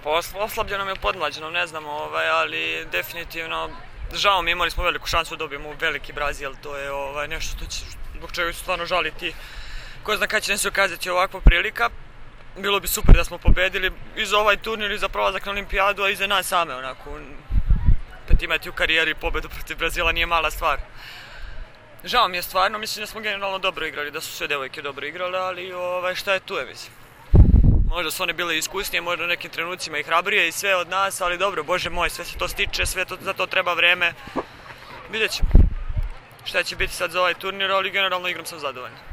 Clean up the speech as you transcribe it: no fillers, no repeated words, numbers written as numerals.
Pa oslabljenom je podmlađenom, ne znam, ali definitivno žao mi, imali smo veliku šansu da dobijemo veliki Brazil, to je nešto što će, zbog čega su stvarno žaliti. Ko zna kada će se ukazati ovakva prilika. Bilo bi super da smo pobedili i za ovaj turnir i za prolazak na olimpijadu, a i za nas same, onako. Opet imati u karijeri pobedu protiv Brazila nije mala stvar. Žao mi je stvarno, mislim da smo generalno dobro igrali, da su sve devojke dobro igrale, ali šta je tu je, mislim. Možda su one bile iskusnije, možda u nekim trenucima i hrabrije i sve od nas, ali dobro, bože moj, sve se to stiče, za to treba vreme. Vidjet ćemo šta će biti sad za ovaj turnir, ali generalno igram sam zadovoljna.